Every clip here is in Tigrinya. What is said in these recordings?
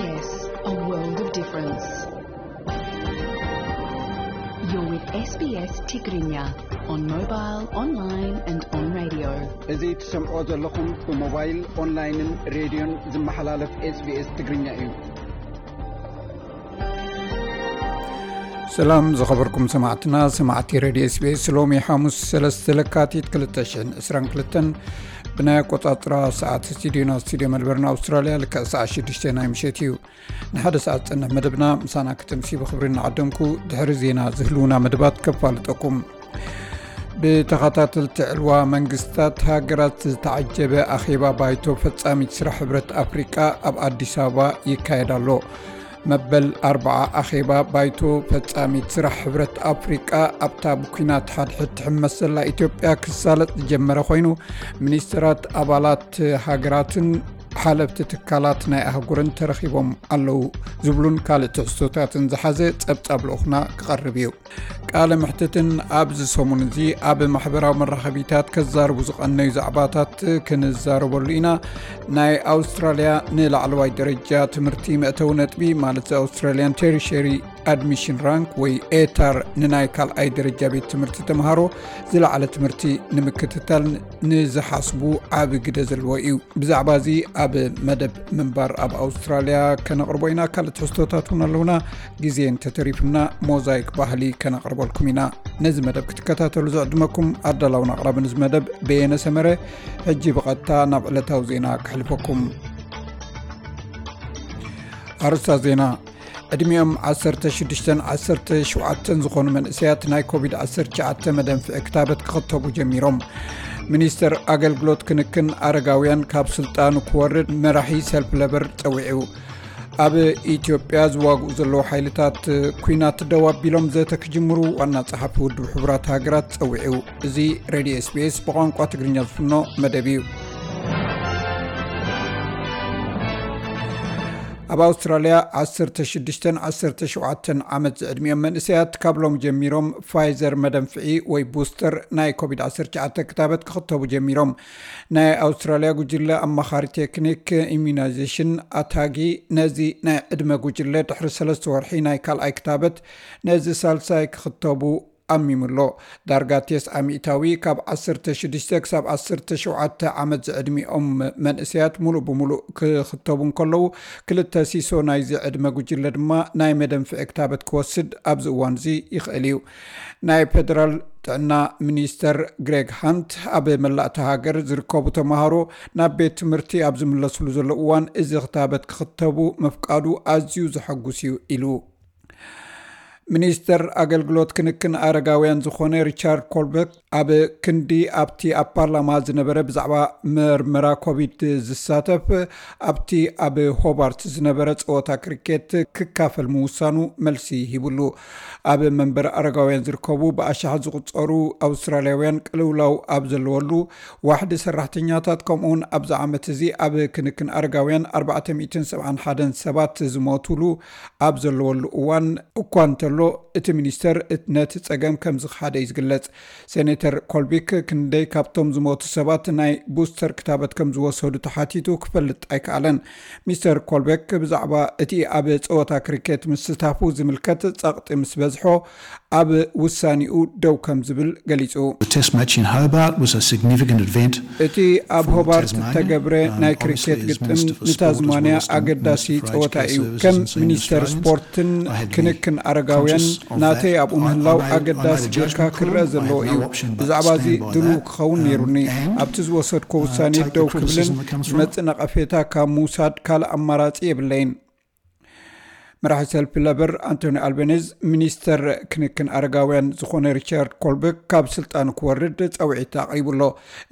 Yes, a world of difference. You're with S B S Tigrinya on mobile, online and on radio. እዚ ትሰምዖ ዘለኹም ብሞባይል፣ ኦንላይንን ሬድዮን ዝመሓላለፍ SBS ትግርኛ እዩ። ሰላም ዝኸበርኩም ሰማዕትና፣ ሰማዕቲ ሬድዮ SBS። ሎሚ ሓሙስ ሰለስተ ለካቲት ክልተ ሽሕን ዕስራን ክልተን ብናይ ኣቆጻጽራ ሰዓት ስቱዲዮና፣ ስቱዲዮ መልበርን ኣውስትራልያ፣ ልክዕ ሰዓት ሽዱሽተ ናይ ምሸት እዩ። ንሓደ ሰዓት ዝጸንሕ መደብና ምሳና ክትምሲ ብኽብሪ እናዓደምኩ፣ ድሕሪ ዜና ዝህልዉና መደባት ከፋልጠኩም። ብተኸታተልቲ ዕልዋ መንግስታት ሃገራት ዝተዓጀበ ኣኼባ ባይቶ ፈጻሚት ስራሕ ሕብረት ኣፍሪቃ ኣብ ኣዲስ ኣበባ ይካየድ ኣሎ። መበል ኣርብዓ ኣኼባ ባይቶ ፈጻሚት ስራሕ ሕብረት ኣፍሪቃ ኣብታ ብኲናት ሓድሕድ ትሕመስ ዘላ ኢትዮጵያ ክሳለጥ ዝጀመረ ኮይኑ፣ ሚኒስትራት ኣባላት ሃገራትን ሓለፍቲ ትካላት ናይ ኣህጉርን ተረኺቦም ኣለዉ ዝብሉን ካልእ ትሕዝቶታትን ዝሓዘ ጸብጻብ ልኡኽና ክቐርብ እዩ። ቃለ መሕትትን ኣብዚ ሰሙን እዚ ኣብ ማሕበራዊ መራኸቢታት ከዛርቡ ዝቐነዩ ዛዕባታት ክንዛረበሉ ኢና። ናይ ኣውስትራልያ ንላዕለዋይ ደረጃ ትምህርቲ መእተዊ ነጥቢ፣ ማለት ኣውስትራልያን ቴሪሸሪ ኣድሚሽን ራንክ ወይ ኤታር፣ ንናይ ካልኣይ ደረጃ ቤት ትምህርቲ ተምሃሮ ዝለዓለ ትምህርቲ ንምክትታል ንዝሓስቡ ዓቢ ግደ ዘለዎ እዩ። ብዛዕባ እዚ ኣብ መደብ ምንባር ኣብ ኣውስትራልያ ከነቕርቦ ኢና። ካልእ ትሕዝቶታት እውን ኣለውና። ግዜ እንተተሪፉና ሞዛይክ ባህሊ ከነቕርበልኩም ኢና። ነዚ መደብ ክትከታተሉ ዝዕድመኩም ኣዳላውን ኣቕራብን እዚ መደብ በየነ ሰመረ። ሕጂ ብቐጥታ ናብ ዕለታዊ ዜና ከሕልፈኩም። ኣርእስታት ዜና። ዕድሚኦም ዓሰርተ ሽዱሽተን ዓሰርተ ሸውዓተን ዝኾኑ መንእሰያት ናይ ኮቪድ ዓሰርተ ትሽዓተ መደንፍዒ ክታበት ክኽተቡ ጀሚሮም። ሚኒስተር ኣገልግሎት ክንክን ኣረጋውያን ካብ ስልጣኑ ክወርድ መራሒ ሰልፊ ለበር ጸዊዑ። ኣብ ኢትዮጵያ ዝዋግኡ ዘለዉ ሓይልታት ኲናት ደው ኣቢሎም ዘተ ክጅምሩ ዋና ጸሓፊ ውድብ ሕቡራት ሃገራት ጸዊዑ። እዚ ሬድዮ SBS ብቋንቋ ትግርኛ ዝፍኖ መደብ እዩ። ኣብ ኣውስትራልያ ዓሰርተ ሽዱሽተን ዓሰርተ ሸውዓተን ዓመት ዝዕድሚኦም መንእሰያት ካብ ሎም ጀሚሮም ፋይዘር መደንፍዒ ወይ ቡስተር ናይ ኮቪድ ዓሰርተ ትሽዓተ ክታበት ክኽተቡ ጀሚሮም። ናይ ኣውስትራልያ ጉጅለ ኣማኻሪ ቴክኒክ ኢሚዩናይዜሽን ኣታጊ ነዚ ናይ ዕድመ ጉጅለ ድሕሪ ሰለስተ ወርሒ ናይ ካልኣይ ክታበት ነዚ ሳልሳይ ክኽተቡ ኣሚሙ ኣሎ። ዳርጋ ተስዓ ሚእታዊ ካብ ዓሰርተ ሽዱሽተ ክሳብ ዓሰርተ ሸውዓተ ዓመት ዝዕድሚኦም መንእሰያት ሙሉእ ብሙሉእ ክኽተቡ እንከለዉ፣ ክልተ ሲሶ ናይዚ ዕድመ ጉጅለ ድማ ናይ መደንፍዒ ክታበት ክወስድ ኣብዚ እዋን እዚ ይኽእል እዩ። ናይ ፌደራል ጥዕና ሚኒስተር ግሬግ ሃንት ኣብ መላእቲ ሃገር ዝርከቡ ተምሃሮ ናብ ቤት ትምህርቲ ኣብ ዝምለስሉ ዘሎ እዋን እዚ ክታበት ክኽተቡ ምፍቃዱ ኣዝዩ ዘሐጉስ እዩ ኢሉ። ሚኒስተር ኣገልግሎት ክንክን ኣረጋውያን ዝኾነ ሪቻርድ ኮልበክ ኣብ ክንዲ ኣብቲ ኣብ ፓርላማ ዝነበረ ብዛዕባ መርመራ ኮቪድ ዝሳተፍ፣ ኣብቲ ኣብ ሆባርት ዝነበረ ጸወታ ክሪኬት ክካፈል ምውሳኑ መልሲ ሂብሉ። ኣብ መንበር ኣረጋውያን ዝርከቡ ብኣሽሓት ዝቑጸሩ ኣውስትራልያውያን ቅልውላው ኣብ ዘለወሉ፣ ዋሕዲ ሰራሕተኛታት ከምኡውን ኣብዚ ዓመት እዚ ኣብ ክንክን ኣረጋውያን ኣርባዕተ ሚእትን ሰብዓን ሓደን ሰባት ዝሞቱሉ ኣብ ዘለወሉ እዋን እኳ እንተሎ፣ እቲ ሚኒስተር እት-፣ ነቲ ጸገም ከም ዝኸሓደ እዩ ዝግለጽ። ሴኔተር ኮልቢክ ክንደይ ካብቶም ዝሞቱ ሰባት ናይ ቡስተር ክታበት ከም ዝወሰዱ ተሓቲቱ ክፈልጥ ኣይከኣለን። ሚስተር ኮልቤክ ብዛዕባ እቲ ኣብ ጸወታ ክሪኬት ምስታፉ ዝምልከት ጸቕጢ ምስ በዝሖ ኣብ ውሳኔኡ ደው ከም ዝብል ገሊጹ። The test match in Hobart was a significant event እቲ ኣብ for ሆባርት Tasmania. ተገብረ Um, ናይ ክሪኬት obviously, as ግጥም Minister for Sport, it was ንታዝማንያ most, most ኣገዳሲ for ጸወታ education እዩ። Services ከም and Senior ሚኒስተር Australians. ስፖርትን I had to be ክንክን ኣረጋውያን conscious of ናተይ that. ኣብኡ I, ምህላው I made, I ኣገዳሲ made a ጌርካ judgment ክረአ call. I ዘለዎ had no እዩ። option but ብዛዕባ እዚ stand by ድልው that. ክኸውን Um, ነይሩኒ። and ኣብቲ ዝወሰድኩ ውሳኔ ደው ክብልን ዝመጽእ ነቐፌታ ካብ ምውሳድ ካልእ ኣማራጺ የብለይን። መራሒ ሰልፊ ለበር ኣንቶኒ ኣልቤኔዝ፣ ሚኒስተር ክንክን ኣረጋውያን ዝኾነ ሪቻርድ ኮልበክ ካብ ስልጣኑ ክወርድ ጸውዒት ኣቕሪቡ ኣሎ።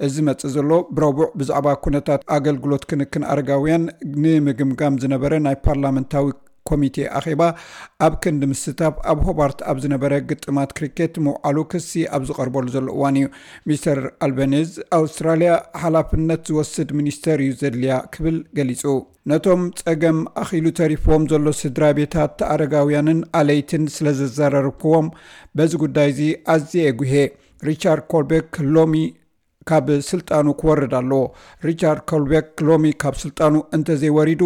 እዚ ዝመጽእ ዘሎ ብረቡዕ ብዛዕባ ኩነታት ኣገልግሎት ክንክን ኣረጋውያን ንምግምጋም ዝነበረ ናይ ፓርላመንታዊ ኮሚቴ ኣኼባ ኣብ ክንዲ ምስታፍ ኣብ ሆባርት ኣብ ዝነበረ ግጥማት ክሪኬት ምውዓሉ ክሲ ኣብ ዝቐርበሉ ዘሎ እዋን እዩ። ሚስተር ኣልበኔዝ፣ ኣውስትራልያ ሓላፍነት ዝወስድ ሚኒስተር እዩ ዘድልያ ክብል ገሊጹ። ነቶም ጸገም ኣኺሉ ተሪፍዎም ዘሎ ስድራ ቤታት ኣረጋውያንን ኣለይትን ስለ ዘዘራረብክዎም፣ በዚ ጉዳይ እዚ ኣዝየ እየ ጉሄ። ሪቻርድ ኮልቤክ ሎሚ ካብ ስልጣኑ ክወርድ ኣለዎ። ሪቻርድ ኮልቤክ ሎሚ ካብ ስልጣኑ እንተዘይወሪዱ፣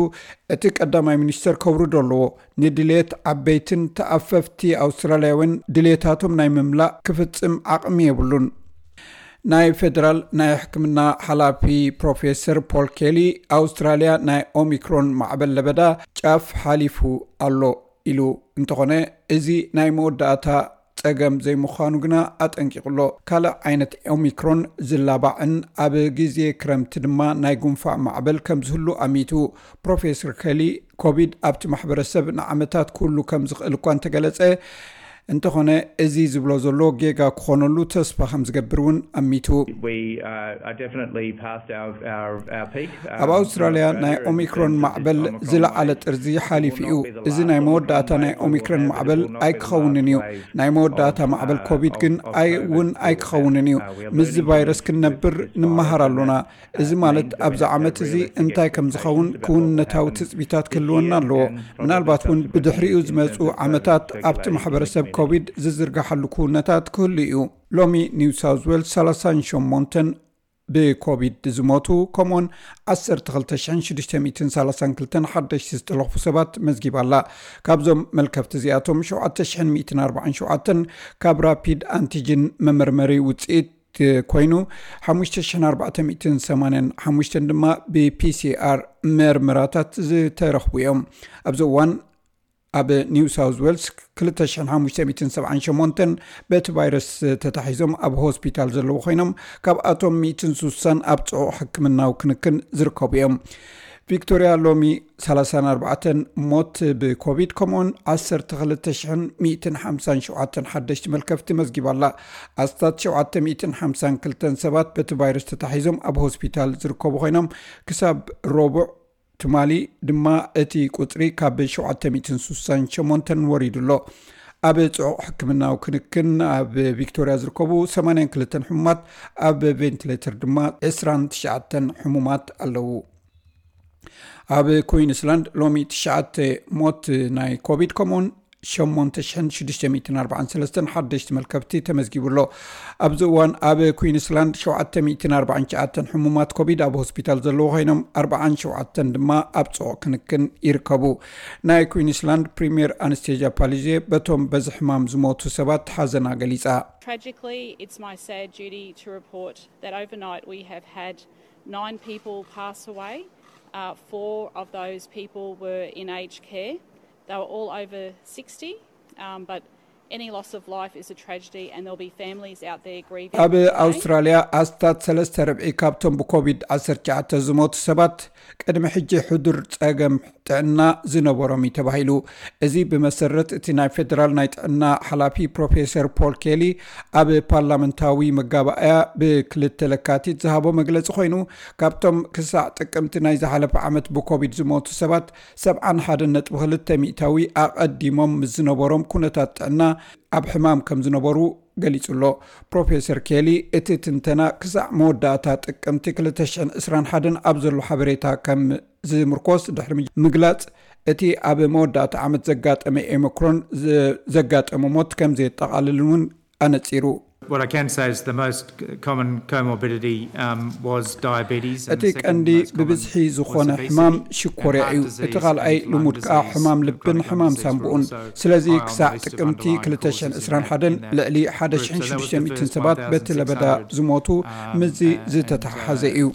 እቲ ቀዳማይ ሚኒስተር ከውርዶ ኣለዎ። ንድሌት ዓበይትን ተኣፈፍቲ ኣውስትራልያውያን ድሌታቶም ናይ ምምላእ ክፍጽም ዓቕሚ የብሉን። ናይ ፌደራል ናይ ሕክምና ሓላፊ ፕሮፌሰር ፖል ኬሊ፣ ኣውስትራልያ ናይ ኦሚክሮን ማዕበል ለበዳ ጫፍ ሓሊፉ ኣሎ ኢሉ። እንተኾነ፣ እዚ ናይ መወዳእታ ጸገም ዘይምዃኑ ግና ኣጠንቂቑ ኣሎ። ካልእ ዓይነት ኦሚክሮን ዝላባዕን ኣብ ግዜ ክረምቲ ድማ ናይ ጉንፋዕ ማዕበል ከም ዝህሉ ኣሚቱ። ፕሮፌሰር ኬሊ፣ ኮቪድ ኣብቲ ማሕበረሰብ ንዓመታት ክህሉ ከም ዝኽእል እኳ እንተገለጸ፣ እንተኾነ፣ እዚ ዝብሎ ዘሎ ጌጋ ክኾነሉ ተስፋ ከም ዝገብር እውን ኣሚቱ። We uh, are definitely past our, our, our peak. ኣብ ኣውስትራልያ ናይ ኦሚክሮን ማዕበል ዝለዓለ ጥርዚ ሓሊፉ እዩ። እዚ ናይ መወዳእታ ናይ ኦሚክሮን ማዕበል ኣይክኸውንን እዩ። ናይ መወዳእታ ማዕበል ኮቪድ ግን ኣይ እውን ኣይክኸውንን እዩ። ምስዚ ቫይረስ ክንነብር ንመሃር ኣሎና። እዚ ማለት ኣብዚ ዓመት እዚ እንታይ ከም ዝኸውን ክውንነታዊ ትጽቢታት ክህልወና ኣለዎ። ምናልባት እውን ብድሕሪኡ ዝመጹ ዓመታት ኣብቲ ማሕበረሰብ ኮቪድ ዝዝርጋሓሉ ክውነታት ክህሉ እዩ። ሎሚ ኒው ሳውዝ ዌልስ ሰላሳን ሸሞንተን ብኮቪድ ዝሞቱ፣ ከምኡውን ዓሰርተ ክልተ ሽሕን ሽዱሽተ ሚእትን ሰላሳን ክልተን ሓደሽቲ ዝተለኽፉ ሰባት መዝጊባ ኣላ። ካብዞም መልከፍቲ እዚኣቶም ሸውዓተ ሽሕን ሚእትን ኣርባዓን ሸውዓተን ካብ ራፒድ ኣንቲጅን መመርመሪ ውጽኢት ኮይኑ፣ ሓሙሽተ ሽሕን ኣርባዕተ ሚእትን ሰማንያን ሓሙሽተን ድማ ብፒሲኣር መርመራታት ዝተረኽቡ እዮም። ኣብዚ እዋን ኣብ ኒው ሳውዝ ዌልስ ክልተ ሽሕን ሓሙሽተ ሚእትን ሰብዓን ሸሞንተን በቲ ቫይረስ ተታሒዞም ኣብ ሆስፒታል ዘለዉ ኮይኖም፣ ካብኣቶም ሚእትን ስሳን ኣብ ጽዑቕ ሕክምናዊ ክንክን ዝርከቡ እዮም። ቪክቶርያ ሎሚ ሰላሳን ኣርባዕተን ሞት ብኮቪድ፣ ከምኡውን ዓሰርተ ክልተ ሽሕን ሚእትን ሓምሳን ሸውዓተን ሓደሽቲ መልከፍቲ መዝጊባ ኣላ። ኣስታት ሸውዓተ ሚእትን ሓምሳን ክልተን ሰባት በቲ ቫይረስ ተታሒዞም ኣብ ሆስፒታል ዝርከቡ ኮይኖም፣ ክሳብ ረቡዕ ትማሊ ድማ እቲ ቁጽሪ ካብ ሸውዓተ ሚእትን ስሳን ሸሞንተን ወሪዱ ኣሎ። ኣብ ጽዑቕ ሕክምናዊ ክንክን ኣብ ቪክቶርያ ዝርከቡ ሰማንያን ክልተን ሕሙማት፣ ኣብ ቬንቲሌተር ድማ ዕስራን ትሽዓተን ሕሙማት ኣለዉ። ኣብ ኩዊንስላንድ ሎሚ ትሽዓተ ሞት ናይ ኮቪድ፣ ከምኡውን ሸሞንተ ሽሕን ሽዱሽተ ሚእትን ኣርባዓን ሰለስተን ሓደሽቲ መልከፍቲ ተመዝጊቡ ኣሎ። ኣብዚ እዋን ኣብ ኩዊንስላንድ ሸውዓተ ሚእትን ኣርባዓን ትሽዓተን ሕሙማት ኮቪድ ኣብ ሆስፒታል ዘለዉ ኮይኖም፣ ኣርባዓን ሸውዓተን ድማ ኣብ ጽዑቕ ክንክን ይርከቡ። ናይ ኩዊንስላንድ ፕሪምየር ኣነስቴዥያ ፓሊዜ በቶም በዚ ሕማም ዝሞቱ ሰባት ሓዘና ገሊጻ። Tragically, it's my sad duty to report that overnight we have had nine people pass away. Uh, four of those people were in aged care. They were all over sixty, um, but any loss of life is a tragedy, and there'll be families out there grieving. ኣብ ኣውስትራልያ ኣስታት ሰለስተ ርብዒ ካብቶም ብኮቪድ ዓሰርተ ትሽዓተ ዝሞቱ ሰባት ቅድሚ ሕጂ ሕዱር ጸገም ጥዕና ዝነበሮም እዩ ተባሂሉ። እዚ ብመሰረት እቲ ናይ ፌደራል ናይ ጥዕና ሓላፊ ፕሮፌሰር ፖል ኬሊ ኣብ ፓርላመንታዊ መጋባእያ ብክልተ ለካቲት ዝሃቦ መግለጺ ኮይኑ፣ ካብቶም ክሳዕ ጥቅምቲ ናይ ዝሓለፈ ዓመት ብኮቪድ ዝሞቱ ሰባት ሰብዓን ሓደን ነጥቢ ክልተ ሚእታዊ ኣቐዲሞም ምስ ዝነበሮም ኩነታት ጥዕና ኣብ ሕማም ከም ዝነበሩ ገሊጹ ኣሎ። ፕሮፌሰር ኬሊ፣ እቲ ትንተና ክሳዕ መወዳእታ ጥቅምቲ ክልተ ሽሕን ዕስራን ሓደን ኣብ ዘሎ ሓበሬታ ከም ዝምርኮስ ድሕሪ ምግላጽ፣ እቲ ኣብ መወዳእታ ዓመት ዘጋጠመ ኦሚክሮን ዘጋጠመ ሞት ከም ዘየጠቓልል እውን ኣነጺሩ። What I can say is the most common comorbidity um, was diabetes. እቲ ቀንዲ ብብዝሒ ዝኾነ ሕማም ሽኮርያ እዩ። እቲ ካልኣይ ልሙድ ከኣ ሕማም ልብን ሕማም ሳንቡኡን። ስለዚ ክሳዕ ጥቅምቲ ክልተ ሽሕን ዕስራን ሓደን ልዕሊ ሓደ ሽሕን ሽዱሽተ ሚእትን ሰባት በቲ ለበዳ ዝሞቱ ምስዚ ዝተተሓሓዘ እዩ።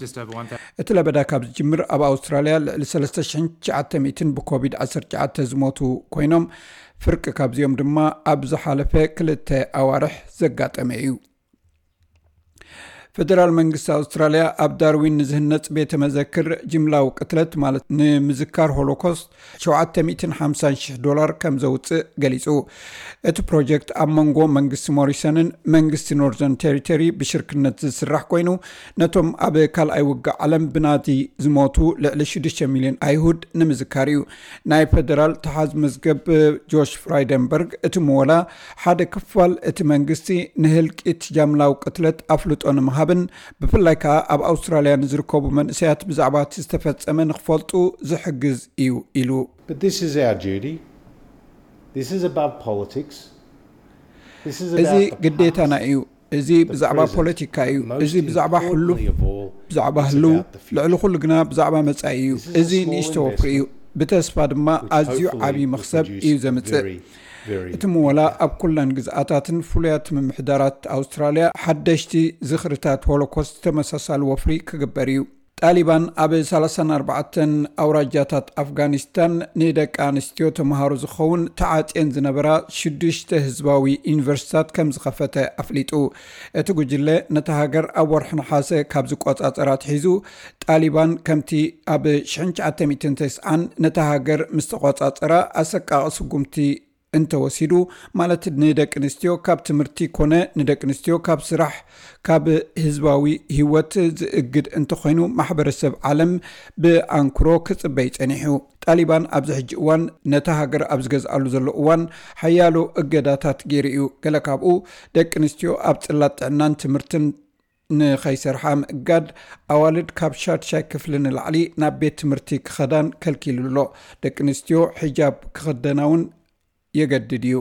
እቲ ለበዳ ካብ ዝጅምር ኣብ ኣውስትራልያ ልዕሊ ሰለስተ ሽሕን ትሽዓተ ሚእትን ብኮቪድ ዓሰርተ ትሽዓተ ዝሞቱ ኮይኖም፣ ፍርቂ ካብዚኦም ድማ ኣብ ዝሓለፈ ክልተ ኣዋርሕ ዘጋጠመ እዩ። ፌደራል መንግስቲ ኣውስትራልያ ኣብ ዳርዊን ንዝህነጽ ቤተ መዘክር ጅምላዊ ቅትለት፣ ማለት ንምዝካር ሆሎኮስት፣ ሸውዓተ ሚእትን ሓምሳን ሽሕ ዶላር ከም ዘውጽእ ገሊጹ። እቲ ፕሮጀክት ኣብ መንጎ መንግስቲ ሞሪሰንን መንግስቲ ኖርዘርን ቴሪቶሪ ብሽርክነት ዝስራሕ ኮይኑ፣ ነቶም ኣብ ካልኣይ ውግእ ዓለም ብናዚ ዝሞቱ ልዕሊ ሽዱሽተ ሚልዮን ኣይሁድ ንምዝካር እዩ። ናይ ፌደራል ተሓዝ መዝገብ ጆሽ ፍራይደንበርግ፣ እቲ ምወላ ሓደ ክፋል እቲ መንግስቲ ንህልቂት ጃምላዊ ቅትለት ኣፍልጦ ንምሃብን ብፍላይ ከኣ ኣብ ኣውስትራልያ ንዝርከቡ መንእሰያት ብዛዕባ እቲ ዝተፈጸመ ንኽፈልጡ ዝሕግዝ እዩ ኢሉ። But this is our duty. This is above politics. This is እዚ about the ግዴታና past. እዩ። እዚ ብዛዕባ ፖለቲካ እዩ። እዚ ብዛዕባ ሕሉፍ፣ ብዛዕባ ህልው፣ ልዕሊ ኩሉ ግና ብዛዕባ መጻኢ እዩ። እዚ ንእሽቶ ወፍሪ እዩ፣ ብተስፋ ድማ ኣዝዩ ዓብዪ መኽሰብ እዩ ዘምጽእ። እቲ ምወላ ኣብ ኩለን ግዝኣታትን ፍሉያት ምምሕዳራት ኣውስትራልያ ሓደሽቲ ዝኽርታት ሆሎኮስት ተመሳሳሊ ወፍሪ ክግበር እዩ። ጣሊባን ኣብ ሰላሳን ኣርባዕተን ኣውራጃታት ኣፍጋኒስታን ንደቂ ኣንስትዮ ተምሃሮ ዝኸውን ተዓጽየን ዝነበራ ሽዱሽተ ህዝባዊ ዩኒቨርሲታት ከም ዝኸፈተ ኣፍሊጡ። እቲ ጉጅለ ነታ ሃገር ኣብ ወርሒ ነሓሰ ካብ ዝቆጻጸራ ኣትሒዙ፣ ጣሊባን ከምቲ ኣብ ሽሕን ትሽዓተ ሚእትን ተስዓን ነታ ሃገር ምስ ተቆጻጸራ ኣሰቃቒ ስጉምቲ እንተወሲዱ፣ ማለት ንደቂ ኣንስትዮ ካብ ትምህርቲ ኮነ ንደቂ ኣንስትዮ ካብ ስራሕ፣ ካብ ህዝባዊ ህይወት ዝእግድ እንተኾይኑ፣ ማሕበረሰብ ዓለም ብኣንክሮ ክጽበይ ጸኒሑ። ጣሊባን ኣብዚ ሕጂ እዋን ነታ ሃገር ኣብ ዝገዝኣሉ ዘሎ እዋን ሓያሎ እገዳታት ገይሩ እዩ። ገለ ካብኡ ደቂ ኣንስትዮ ኣብ ጽላት ጥዕናን ትምህርትን ንኸይሰርሓ ምእጋድ፣ ኣዋልድ ካብ ሻድሻይ ክፍሊ ንላዕሊ ናብ ቤት ትምህርቲ ክኸዳን ከልኪሉ ኣሎ። ደቂ ኣንስትዮ ሒጃብ ክኽደና እውን የገድድ እዩ።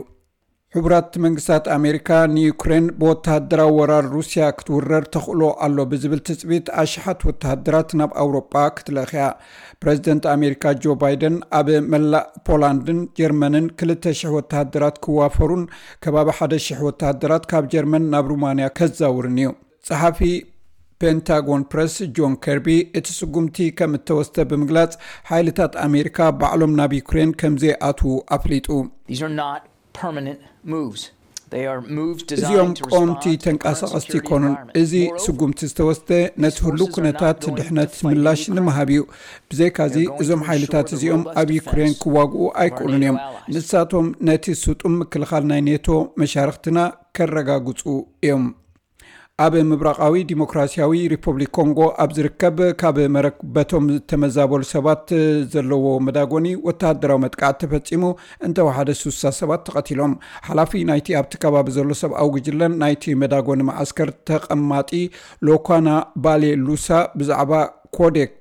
ሕቡራት መንግስታት ኣሜሪካ ንዩክሬን ብወተሃደራዊ ወራር ሩስያ ክትውረር ተኽእሎ ኣሎ ብዝብል ትጽቢት ኣሽሓት ወተሃደራት ናብ ኣውሮጳ ክትልእኽያ። ፕረዚደንት ኣሜሪካ ጆ ባይደን ኣብ መላእ ፖላንድን ጀርመንን ክልተ ሽሕ ወተሃደራት ክዋፈሩን ከባቢ ሓደ ሽሕ ወተሃደራት ካብ ጀርመን ናብ ሩማንያ ከዛውርን እዩ። ጸሓፊ ፔንታጎን ፕረስ ጆን ከርቢ እቲ ስጉምቲ ከም እተወስደ ብምግላጽ፣ ሓይልታት ኣሜሪካ ባዕሎም ናብ ዩክሬን ከም ዘይኣትዉ ኣፍሊጡ። These are not permanent moves. They are moves እዚኦም designed to ቀወምቲ respond to the current ተንቀሳቐስቲ security ይኮኑን። Environment. እዚ Moreover, ስጉምቲ ዝተወስደ ነቲ ህሉ ኩነታት ድሕነት ምላሽ ንምሃብ እዩ። ብዘይካዚ እዞም ሓይልታት እዚኦም ኣብ ዩክሬን ክዋግኡ ኣይክእሉን እዮም። ንሳቶም ነቲ ስጡም ምክልኻል ናይ ኔቶ መሻርክትና ከረጋግጹ እዮም። ኣብ ምብራቓዊ ዲሞክራሲያዊ ሪፐብሊክ ኮንጎ ኣብ ዝርከብ ካብ መረበቶም ዝተመዛበሉ ሰባት ዘለዎ መዳጎኒ ወተሃደራዊ መጥቃዕቲ ተፈጺሙ፣ እንተወሓደ ስሳ ሰባት ተቐቲሎም። ሓላፊ ናይቲ ኣብቲ ከባቢ ዘሎ ሰብኣዊ ጉጅለን ናይቲ መዳጎኒ መዓስከር ተቐማጢ ሎኳና ባሌ ሉሳ ብዛዕባ ኮዴክ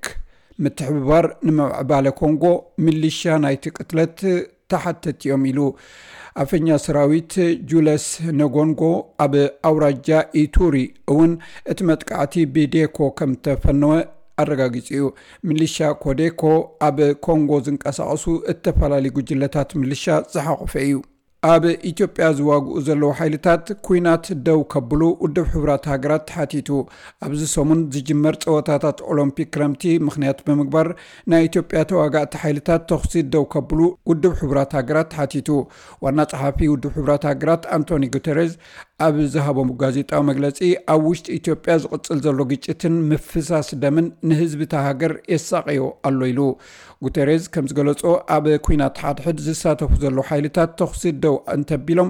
ምትሕብባር ንምዕባለ ኮንጎ፣ ምልሻ ናይቲ ቅትለት ተሓተቲ እዮም ኢሉ። ኣፈኛ ሰራዊት ጁለስ ነጎንጎ ኣብ ኣውራጃ ኢቱሪ እውን እቲ መጥቃዕቲ ብዴኮ ከም ተፈነወ ኣረጋጊጹ እዩ። ምልሻ ኮዴኮ ኣብ ኮንጎ ዝንቀሳቐሱ እተፈላለዩ ጉጅለታት ምልሻ ዝሓቖፈ እዩ። ኣብ ኢትዮጵያ ዝዋግኡ ዘለዉ ሓይልታት ኲናት ደው ከብሉ ውድብ ሕቡራት ሃገራት ተሓቲቱ። ኣብዚ ሰሙን ዝጅመር ጸወታታት ኦሎምፒክ ክረምቲ ምኽንያት ብምግባር ናይ ኢትዮጵያ ተዋጋእቲ ሓይልታት ተኹሲ ደው ከብሉ ውድብ ሕቡራት ሃገራት ተሓቲቱ። ዋና ጸሓፊ ውድብ ሕቡራት ሃገራት ኣንቶኒ ጉተሬዝ ኣብ ዝሃቦም ጋዜጣዊ መግለጺ፣ ኣብ ውሽጢ ኢትዮጵያ ዝቕጽል ዘሎ ግጭትን ምፍሳስ ደምን ንህዝቢ እታ ሃገር የሳቕዮ ኣሎ ኢሉ። ጉተሬዝ ከም ዝገለጾ፣ ኣብ ኲናት ሓድሕድ ዝሳተፉ ዘለዉ ሓይልታት ተኹሲ ደው እንተቢሎም፣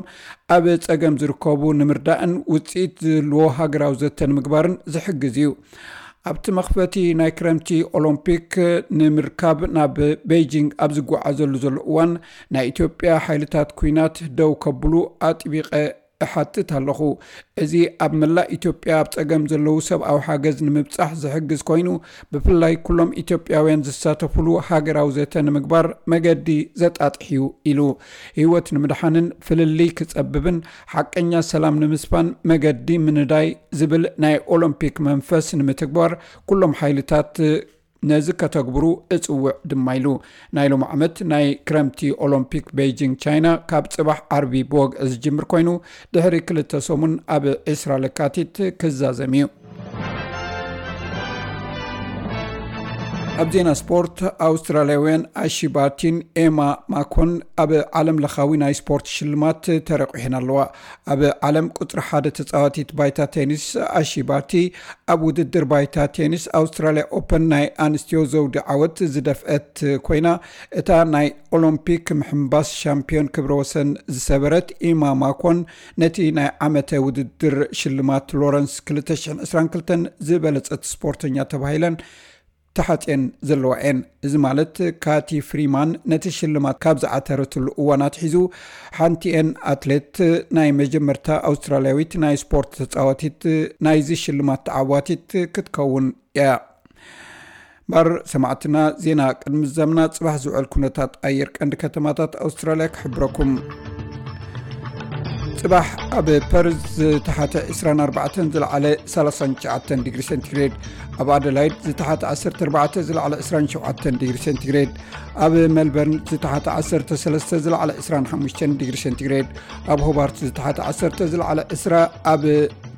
ኣብ ጸገም ዝርከቡ ንምርዳእን ውጽኢት ዝህልዎ ሃገራዊ ዘተ ንምግባርን ዝሕግዝ እዩ። ኣብቲ መኽፈቲ ናይ ክረምቲ ኦሎምፒክ ንምርካብ ናብ ቤይጂንግ ኣብ ዝጓዓዘሉ ዘሎ እዋን፣ ናይ ኢትዮጵያ ሓይልታት ኲናት ደው ከብሉ ኣጥቢቐ እሓትት ኣለኹ። እዚ ኣብ መላእ ኢትዮጵያ ኣብ ጸገም ዘለዉ ሰብኣዊ ሓገዝ ንምብጻሕ ዝሕግዝ ኮይኑ፣ ብፍላይ ኩሎም ኢትዮጵያውያን ዝሳተፉሉ ሃገራዊ ዘተ ንምግባር መገዲ ዘጣጥሕ እዩ ኢሉ። ህይወት ንምድሓንን ፍልልይ ክጸብብን ሓቀኛ ሰላም ንምስፋን መገዲ ምንዳይ ዝብል ናይ ኦሎምፒክ መንፈስ ንምትግባር ኩሎም ሓይልታት ነዚ ከተግብሩ እጽውዕ ድማ ኢሉ። ናይ ሎም ዓመት ናይ ክረምቲ ኦሎምፒክ ቤይጂንግ ቻይና ካብ ጽባሕ ዓርቢ ብወግዒ ዝጅምር ኮይኑ፣ ድሕሪ ክልተ ሰሙን ኣብ ዕስራ ለካቲት ክዛዘም እዩ። ኣብ ዜና ስፖርት፣ ኣውስትራልያውያን ኣሺ ባርቲን ኤማ ማኮን ኣብ ዓለም ለኻዊ ናይ ስፖርት ሽልማት ተረቑሐን ኣለዋ። ኣብ ዓለም ቁጽሪ ሓደ ተጻዋቲት ባይታ ቴኒስ ኣሺ ባርቲ ኣብ ውድድር ባይታ ቴኒስ ኣውስትራልያ ኦፐን ናይ ኣንስትዮ ዘውዲ ዓወት ዝደፍአት ኮይና፣ እታ ናይ ኦሎምፒክ ምሕንባስ ሻምፒዮን ክብረ ወሰን ዝሰበረት ኢማ ማኮን ነቲ ናይ ዓመተ ውድድር ሽልማት ሎረንስ ክልተ ሽሕን ዕስራን ክልተን ዝበለጸት ስፖርተኛ ተባሂለን ተሓጽየን ዘለዋ እየን። እዚ ማለት ካቲ ፍሪማን ነቲ ሽልማት ካብ ዝዓተረትሉ እዋን ኣትሒዙ ሓንቲኤን ኣትሌት ናይ መጀመርታ ኣውስትራልያዊት ናይ ስፖርት ተጻዋቲት ናይዚ ሽልማት ተዓዋቲት ክትከውን እያ። ባር ሰማዕትና ዜና ቅድሚ ዘምና ጽባሕ ዝውዕል ኩነታት ኣየር ቀንዲ ከተማታት ኣውስትራልያ ክሕብረኩም። ጽባሕ ኣብ ፐርዝ ዝተሓተ ዕስራን ኣርባዕተን ዝለዓለ ሰላሳን ትሽዓተን ዲግሪ ሴንቲግሬድ፣ ኣብ ኣደላይድ ዝተሓተ ዓሰርተ ኣርባዕተ ዝለዓለ ዕስራን ሸውዓተን ዲግሪ ሴንቲግሬድ፣ ኣብ ሜልበርን ዝተሓተ ዓሰርተ ሰለስተ ዝለዓለ ዕስራን ሓሙሽተን ዲግሪ ሴንቲግሬድ፣ ኣብ ሆባርት ዝተሓተ ዓሰርተ ዝለዓለ ዕስራ፣ ኣብ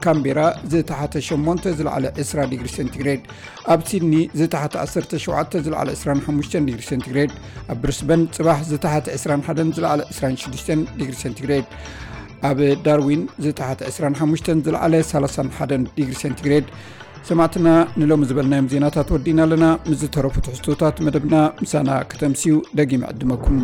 ካምቤራ ዝተሓተ ሸሞንተ ዝለዓለ ዕስራ ዲግሪ ሴንቲግሬድ፣ ኣብ ሲድኒ ዝተሓተ ዓሰርተ ሸውዓተ ዝለዓለ ዕስራን ሓሙሽተን ዲግሪ ሴንቲግሬድ፣ ኣብ ብሪስበን ጽባሕ ዝተሓተ ዕስራን ሓደን ዝለዓለ ዕስራን ሽዱሽተን ዲግሪ ሴንቲግሬድ፣ ኣብ ዳርዊን ዝተሓተ ዕስራን ሓሙሽተን ዝለዓለ ሰላሳን ሓደን ዲግሪ ሴንቲግሬድ። ሰማዕትና፣ ንሎሚ ዝበልናዮም ዜናታት ወዲእና ኣለና። ምስ ዝተረፉ ትሕዝቶታት መደብና ምሳና ከተምስዩ ደጊም ዕድመኩም።